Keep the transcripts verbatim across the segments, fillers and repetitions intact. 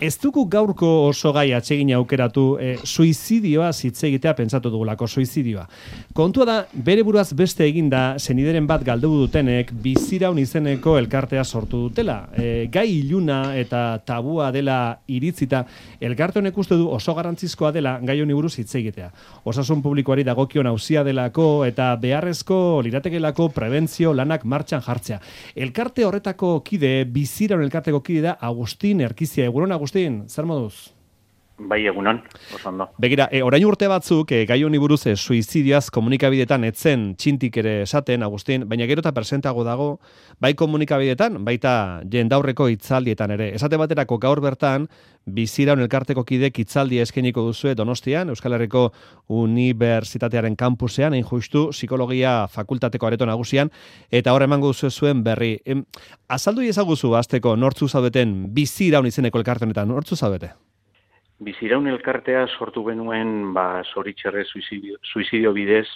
Ez dugu gaurko oso gai atsegin aukeratu e, suizidioa hitz egitea pentsatu dugulako, suizidioa. Kontua da, bere buruaz beste eginda, senideren bat galdu dutenek, biziraun izeneko elkartea sortu dutela. E, gai iluna eta tabua dela iritzita, elkarte honek uste du oso garrantzizkoa dela gai honi buruz hitz egitea. Osasun publikoari dagokion auzia delako eta beharrezko liratekelako prebentzio lanak martxan jartzea. Elkarte horretako kide, biziraun elkarteko kide da Agustin Erkizia. Egunon, Agustin, zer moduz? Bai, egunon, oso ondo. Begira, e, orain urte batzuk, e, gai honi buruz e, suizidioaz komunikabidetan etzen txintik ere esaten, Agustin, baina gero eta presentago dago, bai komunikabidetan, baita jendaurreko hitzaldietan ere. Esate baterako gaur bertan, biziraun elkarteko kidek hitzaldia eskainiko duzue Donostian, Euskal Herriko Unibertsitatearen kampusean, hain justu, psikologia fakultateko areto nagusian, eta hor emango duzue zuen berri. Em, azaldu iezaguzu, azteko, nortzu zaudeten biziraun izeneko elkarte honetan, nortzu zaudete? Biziraun elkartea sortu genuen, ba, zoritxerre suizidio, suizidio bidez,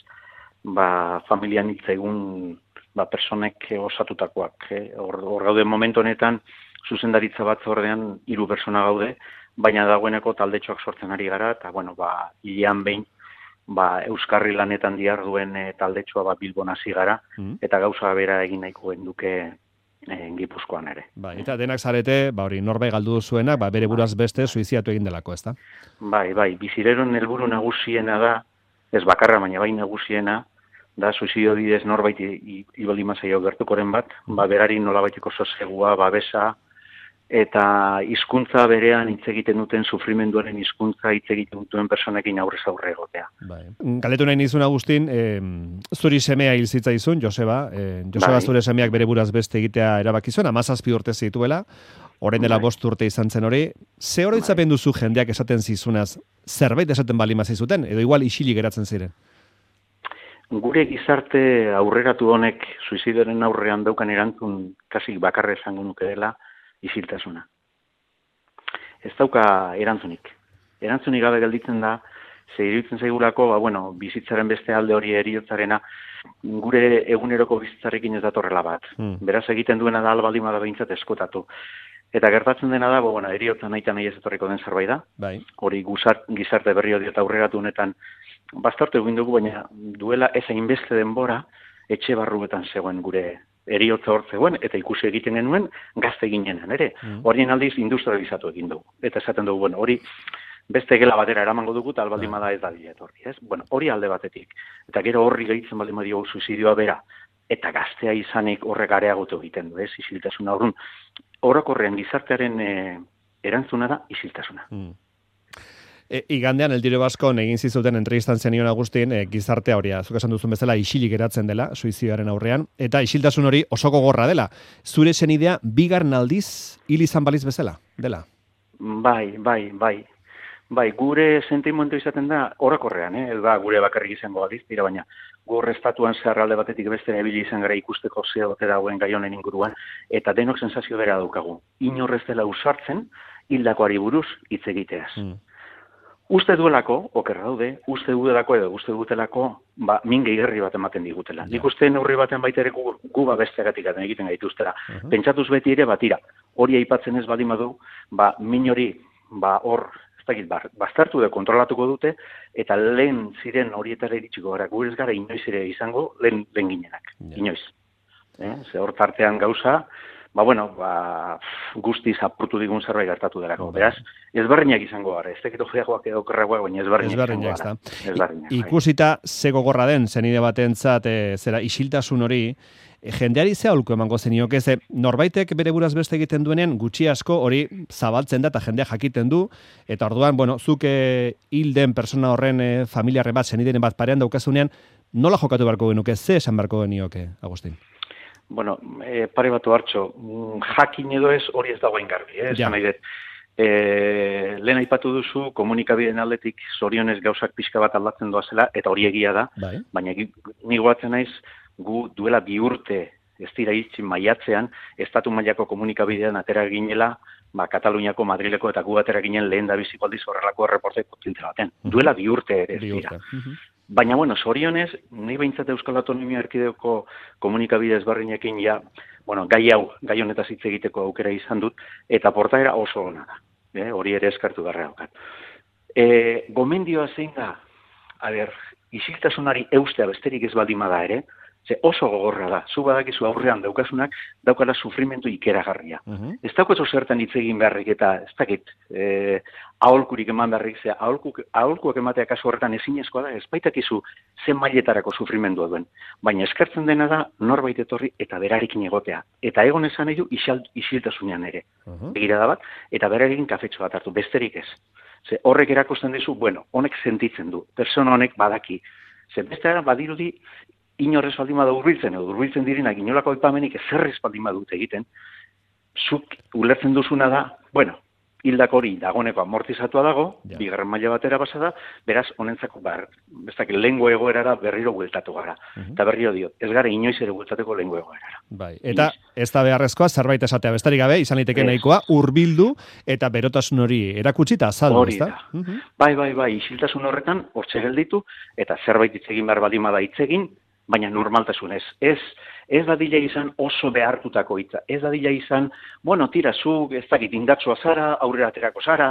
ba, familian hitz egun, ba, personek osatutakoak. Eh? Hor, hor gaude momentu honetan, zuzendaritza batzordean hiru persona gaude, baina dagoeneko taldetxoak sortzen ari gara, eta, bueno, ba, hilean behin, ba, Euskarri lanetan diharduen e, taldetxoa ba, Bilbon hasi gara, mm. eta gauza bera egin nahiko genduke en Gipuzkoan ere. Bai, eta denak zarete, ba hori norbait galdu duzuenak, ba bere buraz beste suiziatu egin delako, ezta? Bai, bai, bizireron helburu nagusiena da, ez bakarra, baina bai nagusiena, da suizidio bidez norbait ibaldin zaio gertukoren bat, ba berari nolabaiteko sosegua, babesa, eta hizkuntza berean hitz egiten duten sufrimenduaren hizkuntza hitz egiten duten personekin aurrez aurre egotea. Bai. Galdetu nahi nizun, Agustin, eh, zuri semea hil zitzaizun, Joseba, eh, Joseba bai. Zure semeak bere buraz beste egitea erabaki zuen, hamazazpi urte zituela, orain dela bai. bost urte izan zen hori. Ze oroitzapen duzu jendeak esaten zizunaz, zerbait esaten bali mazizuten, edo igual isilik geratzen ziren? Gure gizarte aurreratu honek suizidioaren aurrean daukan erantzun kasik bakarra esango nuke dela, isiltasuna. Ez dauka erantzunik. Erantzunik gabe gelditzen da, ze iruditzen zaigulako, ba, bueno, bizitzaren beste alde hori heriotzarena, gure eguneroko bizitzarekin ez datorrela bat. Hmm. Beraz egiten duena da albaldima da behintzat eskotatu. Eta gertatzen dena da, bo, bueno, eriotza nahi eta nahi ez etorriko den zerbait da. Bai. Hori guzart, gizarte berri hori eta aurreratu honetan bastartu egin dugu, baina duela ez hainbeste denbora etxe barruetan zegoen gure eriotza hor zegoen, eta ikusi egiten genuen gazte ginenan, ere. Mm. Horien aldiz industrializatu egin dugu. Eta esaten dugu, bueno, hori beste gela batera eramango dugu, eta albaldin bada ez da dira etorri, ez? Bueno, hori alde batetik. Eta gero horri gehitzen baldin badio suizidioa bera, eta gaztea izanik horrek areagotu egiten du, ez? Isiltasuna horren. Orokorrean gizartearen e, erantzuna da isiltasuna. Mm. E, igandean, El Diario Vasco egin zizuten entrevistan zenion Agustin, e, gizartea hori, zuk esan duzun bezala, isilik geratzen dela, suizidioaren aurrean, eta isiltasun hori oso gogorra dela. Zure senidea, bigarren aldiz, hil izan baliz bezala, dela? Bai, bai, bai. Bai, gure sentimendu izaten da, orokorrean, eh? Da, gure bakarrik izango baliz, dira baina, gure estatuan zeharralde batetik beste ebili izan gara ikusteko zeo ote dagoen gai honen inguruan, eta denok sensazio bera daukagu. Inorrez dela usartzen, hildakoari buruz hitz egiteaz. Mm. Uste duelako, okerra daude, uste duelako edo uste dutelako, ba, min gehigarri bat ematen digutela. Nik uste neurri baten baita ere gu, gu ba besteagatik egiten gaituztela. Uh-huh. Pentsatuz beti ere, batira, hori aipatzen ez baldin badu, ba, min hori, ba, hor, ez dakit, ba, bastartu da kontrolatuko dute, eta lehen ziren horietara iritsiko gara, gure ez gara inoiz ere izango, lehen, lehen ginenak, yeah. inoiz. Eh? Ze hor tartean gauza, ba, bueno, ba, guztiz apurtu digun zerbait gertatu delako. Beraz, ezberdinak izango gara. Ez tekito gehiagoak edo kerragoak, baina ezberdinak izango gara. Ezberdinak. Ikusita zego gorra den, zenide batentzat, e, zera isiltasun hori, e, jendeari ze aholku emango zenioke, ze norbaitek bere buraz beste egiten duenean, gutxi asko hori zabaltzen da, eta jendea jakiten du, eta orduan, bueno, zuk e, hilden persona horren e, familiarren bat, zenideren bat parean daukazunean, nola jokatu beharko genuke, ze esan beharko genioke, Agustin? Bueno, e, pare batu hartxo, jakin edo ez hori ez dagoen garbi, eh? Ja. Nahi dut. E, lehen aipatu duzu, komunikabideen aldetik zorionez gauzak pixka bat aldatzen doazela, eta hori egia da, bai. Baina ni goatzen naiz, gu duela bi urte, ez dira itxin maiatzean, estatu mailako komunikabidean atera ginela, ba, Kataluniako, Madrileko eta gu atera ginen lehen da biziko aldiz horrelako erreporte potente baten. Uh-huh. Duela bi urte ere ez dira. Uh-huh. Baina, bueno, zorionez, nahi behintzat Euskal Autonomia Erkidegoko komunikabide ezberdinekin ja, bueno, gai hau, gai honetaz hitz egiteko aukera izan dut, eta portaera oso ona da. eh, hori ere eskartu garra daukat. E, gomendioa zein da, a ber, isiltasunari eustea besterik ez baldin bada ere, ze oso gogorra da, zu badakizu aurrean daukasunak, daukala sufrimentu ikeragarria. Uh-huh. Ez daukazu zertan hitz egin beharrik eta ez dakit, e, aholkurik eman beharrik, ze aholkuk, aholkuak ematea kasu horretan ezinezkoa da, ez baitakizu zen mailetarako sufrimendua duen. Baina eskertzen dena da norbait etorri eta berarekin egotea. Eta egon esan edo isiltasunean ere. Uh-huh. Begirada bat, eta berarekin kafetxo bat hartu, besterik ez. Ze horrek erakusten dizu, bueno, honek sentitzen du, persona honek badaki. Ze beste badirudi, inorrez baldin bada urbiltzen, edo urbiltzen direnak inolako aipamenik ezerrez baldin badut egiten, zuk ulertzen duzuna da, bueno, hildak hori dagoneko amortizatua dago, ja. Bigarren maila batera pasa da, beraz, honentzako bar, bestak, lehengo egoerara berriro bueltatu gara. Uh-huh. Eta berriro diot, ez gara inoiz ere bueltateko lehengo egoerara. Bai. Eta ez da beharrezkoa, zerbait esatea besterik gabe, izan liteke nahikoa, hurbildu eta berotasun hori erakutsi eta azaldu, hori da. Uh-huh. Bai, bai, bai, isiltasun horretan, hortxe gelditu, eta zerbait hitz egin behar baldin bada hitz egin, baina normaltasunez. Ez, ez dadila izan oso behartutako hitza. Ez dadila izan, bueno, tira, zu ez dakit indatsua zara, aurrera aterako zara,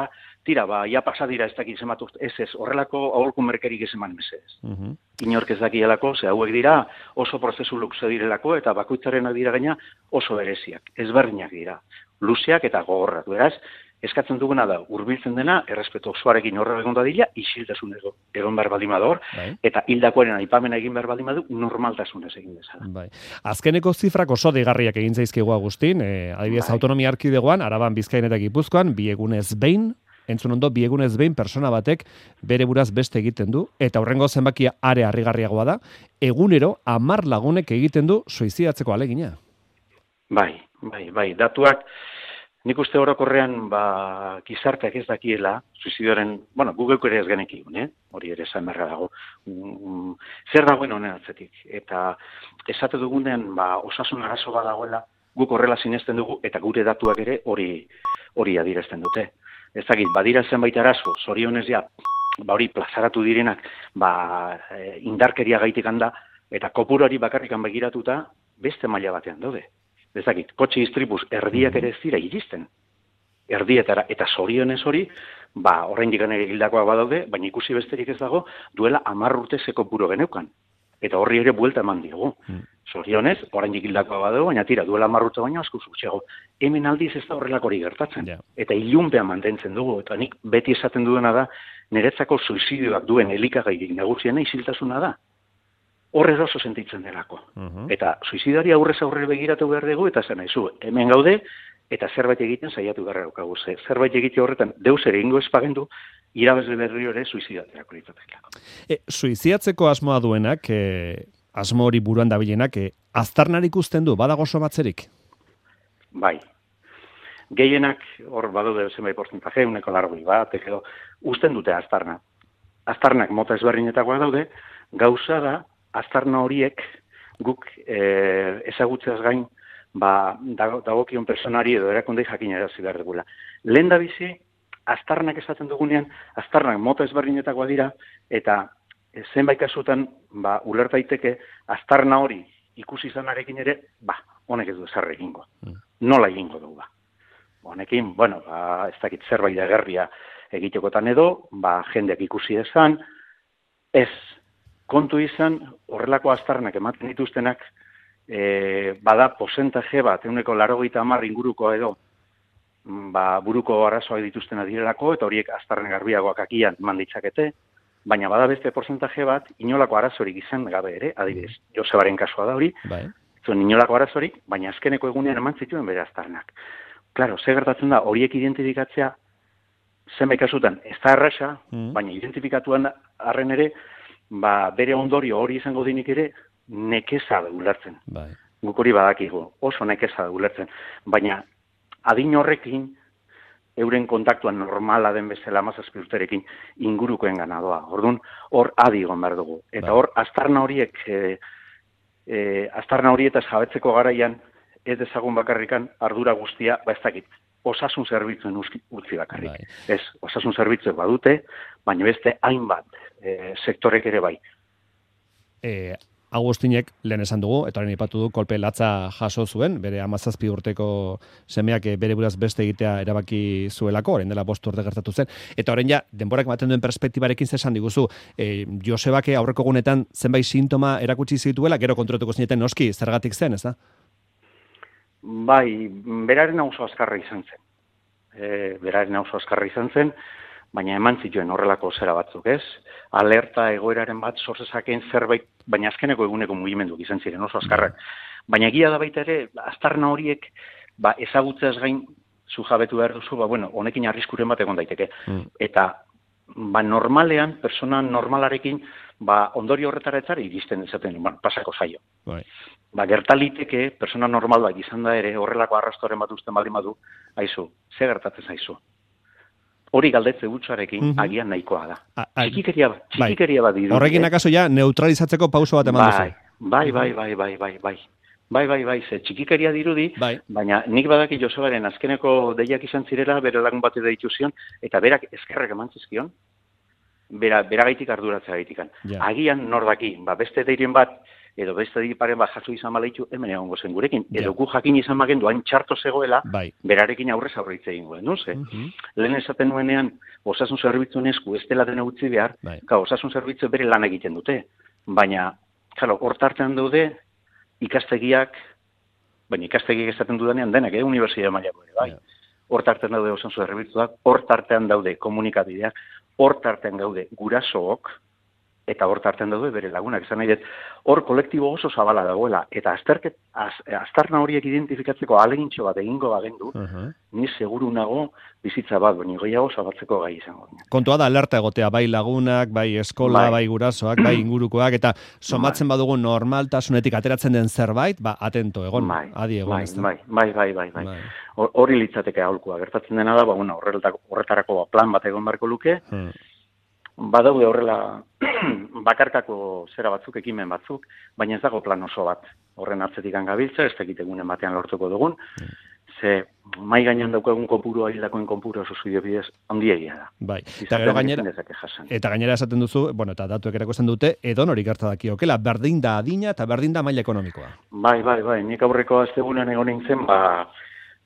tira, ba, ja pasadira ez dakit zematu, ez ez, horrelako aholku merkerik ez eman mesedez. Uh-huh. Inork ez dakielako, ze hauek dira oso prozesu luze direlako, eta bakoitzarenak dira gaina oso bereziak, ezberdinak dira, luzeak eta gogorrak. Beraz, eskatzen duguna da, hurbiltzen dena, errespetu osoarekin horre egon dadila, isiltasun egon behar baldin bador, bai. Eta hildakoaren aipamena egin behar baldin badu, normaltasunez egin dezala. Bai. Azkeneko zifrak oso deigarriak egin zaizkigu Agustin, eh, adibidez bai. Autonomia Erkidegoan, Araban, Bizkaian eta Gipuzkoan, bi egunez behin, entzun ondo, bi egunez behin persona batek bere buraz beste egiten du, eta horrengo zenbakia are harrigarriagoa da, egunero hamar lagunek egiten du suizidatzeko alegina. Bai, bai, bai, datuak, nik uste orokorrean, ba, gizarteak ez dakiela, suizidioaren, bueno, Google ere ez genekik, eh? Hori ere esan berra dago. Mm, zer dagoen honen atzetik? Eta esate dugunean, ba, osasun arazo bat dagoela, guk horrela sinesten dugu, eta gure datuak ere hori hori adierazten dute. Ez dakit, badira zenbait arazo, zorionez ja, ba, hori plazaratu direnak, ba, indarkeria gaitik handa, eta kopurari bakarrikan begiratuta, beste maila batean daude. Ez dakit, kotxe istripuz erdiak ere ez dira iristen. Erdietara, eta zorionez hori, ba, oraindik ere hildakoak badaude, baina ikusi besterik ez dago, duela hamar urte zeko puro geneukan. Eta horri ere buelta eman diogu. Mm. Zorionez, oraindik hildakoak badaude, baina tira, duela hamar urte baina asko zutxego. Hemen aldiz ez da horrelak hori gertatzen. Yeah. Eta ilunpean mantentzen dugu. Eta nik beti esaten duena da, niretzako suizidioak duen elikagairik nagusiena isiltasuna da. Horrez oso sentitzen delako. Uh-huh. Eta suizidari aurrez aurre begiratu behar dugu, eta zen nahizu, hemen gaude, eta zerbait egiten saiatu beharra daukagu. Zerbait egite horretan, deus ere ingo espagendu, irabazle berri hori suizidaterako ditzatekako. E, suizidatzeko asmoa duenak, e, asmo hori buruan dabilenak, e, aztarnar ikusten du, badago somatzerik? Bai. Gehienak, hor badaude zenbait portzentaje, uneko largoi bat, edo, usten dute aztarna. Aztarnak mota ezberdinetakoak daude, gauza da, aztarna horiek guk e, ezagutzeaz gain ba, dagokion personari edo erakundei jakinarazi behar dugula. Lehen da bizi, aztarnak esaten dugunean, aztarnak mota ezberdinetakoa dira, eta zenbait kasutan ba, ulerta daiteke aztarna hori ikusi izanarekin ere, ba, honek ez du ezarri egingo. Mm. Nola egingo dugu ba. Honekin, bueno, ba, ez dakit zerbait agerria egitekotan edo, ba, jendeak ikusi ezan, ez, kontu izan, horrelako aztarnak ematen dituztenak, e, bada porcentaje bat, euneko laurogeita hamar inguruko edo, ba, buruko arazoak dituztena direlako, eta horiek aztarren garbiagoak akian eman ditzakete, baina bada beste porcentaje bat, inolako arazorik izan gabe ere, adibidez, Josebaren kasua da hori, bai. Zuen inolako arazorik, baina azkeneko egunean eman zituen bere aztarnak. Claro, ze gertatzen da, horiek identifikatzea, zenbait kasutan, ez da erraza, mm. baina identifikatuan arren ere, ba, bere ondorio hori izango dinik ere, nekeza da ulertzen. Bai. Guk hori badakigu, oso nekeza da ulertzen. Baina, adin horrekin, euren kontaktuan normala den bezala hamazazpi urterekin ingurukoen ganadoa. Orduan, hor adi egon behar dugu. Eta bai. Hor, aztarna horiek, e, e, aztarna horietaz jabetzeko garaian, ez dezagun bakarrikan ardura guztia, ba ez dakit, osasun zerbitzuen utzi bakarrik. Bai. Ez, osasun zerbitzuek badute, baina beste hainbat e, sektorek ere bai. E, Agustinek lehen esan dugu, eta horren ipatu du, kolpe latza jaso zuen, bere amazazpi urteko semeak bere buraz beste egitea erabaki zuelako, orain dela bost urte gertatu zen, eta horren ja, denborak ematen duen perspektibarekin zesan diguzu, e, Josebake aurreko gunetan zenbait sintoma erakutsi zituela, gero kontrotuko zineten noski, zergatik zen, ez da? Bai, beraren oso azkarra izan zen. E, beraren oso azkarra izan zen, baina eman zituen horrelako zera batzuk, ez? Alerta egoeraren bat sortzezakeen zerbait, baina azkeneko eguneko mugimenduk izan ziren oso azkarrak. Baina egia da baita ere, aztarna horiek, ba, ezagutzeaz gain zu jabetu behar duzu, ba, bueno, honekin arriskuren bat egon daiteke. Mm. Eta, ba, normalean, persona normalarekin, ba, ondori horretara etzari iristen ezaten, ba, pasako zaio. Bai. Ba, gertaliteke, persona normal bat izan da ere, horrelako arrastoren bat usten baldin badu, aizu, ze gertatzen zaizu. Hori galdetze gutxarekin mm -hmm. agian nahikoa da. A, a, txikikeria, txikikeria bai. bat dirudi. Horrekin akaso ja neutralizatzeko pauso bat eman duzu. Bai, bai, bai, bai, bai, bai. Bai, bai, bai, ze txikikeria dirudi, bai. Baina nik badaki Josebaren azkeneko deiak izan zirela, bere lagun bate deitu zion, eta berak eskerrek eman zizkion, bera, beragaitik arduratzea gaitikan. Ja. Agian nordaki, ba, beste deirien bat, edo beste diparen bat jaso izan maleitu, hemen egongo zen gurekin. Edo ja. gu jakin izan magendu, hain txarto zegoela, bai. berarekin aurrez aurreitze egin guen, no? Ze? Uh-huh. Lehen esaten nuenean, osasun zerbitzuen esku, ez dela dena utzi behar, bai. ka, osasun zerbitzu bere lan egiten dute. Baina, karo, hor tartean daude, ikastegiak, baina ikastegiak esaten dudanean denak, eh, unibertsitate mailako ere, bai. Ja. Hor tartean daude osasun zerbitzuak, hor tartean daude komunikabideak, hor tartean daude gurasook, eta hor tartean daude bere lagunak. Esan nahi dut, hor kolektibo oso zabala dagoela, eta azterket, az, aztarna horiek identifikatzeko alegintxo bat egingo bagendu, uh-huh. ni seguru nago bizitza bat, baina gehiago zabatzeko gai izango. Kontua da alerta egotea, bai lagunak, bai eskola, bai, bai gurasoak, bai ingurukoak, eta somatzen bai. badugu normaltasunetik ateratzen den zerbait, ba, atento, egon, bai, adi egon. Bai, bai, bai, bai, bai, bai. Hori litzateke aholkua, gertatzen dena da, ba, bueno, horretarako plan bat egon barko luke, hmm. badaude horrela bakarkako zera batzuk, ekimen batzuk, baina ez dago plan oso bat. Horren atzetik gabiltza, ez dakit egunen batean lortuko dugun, mm. ze mai gainean daukagun kopuru, hildakoen kopuru oso zuio bidez, handiegia da. Bai, eta gero gainera, eta gainera esaten duzu, bueno, eta datuek erakusten dute, edon hori gerta dakiokela, berdin da adina eta berdin da maila ekonomikoa. Bai, bai, bai, nik aurreko astegunean egon nintzen, ba,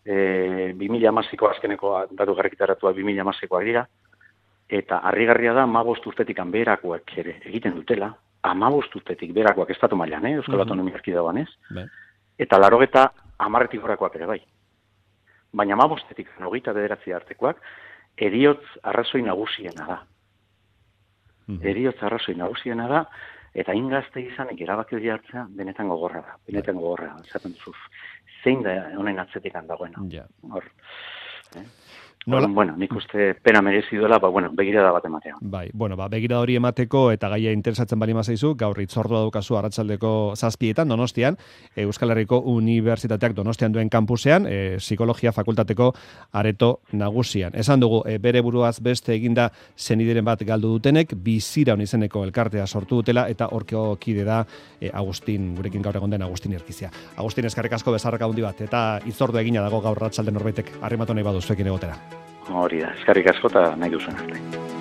e, bi mila hamasiko azkeneko datu garrikitaratua bi mila hamasikoak dira, eta harrigarria da hamabost urtetik beherakoak ere egiten dutela, hamabost urtetik beherakoak estatu mailan, eh, Euskal Autonomia Erkidegoan ez, eta laurogeta hamarretik gorakoak ere bai. Baina hamabostetik hogeita bederatzi artekoak heriotz arrazoi nagusiena da. Mm-hmm. Heriotz arrazoi nagusiena da, eta ingazte izanik erabaki hori hartzea benetan gogorra da, benetan gogorra da, esaten duzu, zein da honen atzetik handagoena. Yeah. Hor, eh? Nola? Bueno, nik uste pena merezi duela, ba, bueno, begirada bat ematea. Bai, bueno, ba, begirada hori emateko eta gaia interesatzen bali mazaizu, gaur itzordua daukazu arratsaldeko zazpietan, Donostian, Euskal Herriko Unibertsitateak Donostian duen kampusean, e, psikologia fakultateko areto nagusian. Esan dugu, e, bere buruaz beste eginda zenideren bat galdu dutenek, bizira izeneko elkartea sortu dutela, eta horkeo kide da e, Agustin, gurekin gaur egon den Agustin Erkizia. Agustin, eskerrik asko bezarrak handi bat, eta itzordua egina dago gaur arratsalde norbaitek arrimatu nahi baduzuekin egotera. Hori da, eskerrik asko eta nahi duzuen arte.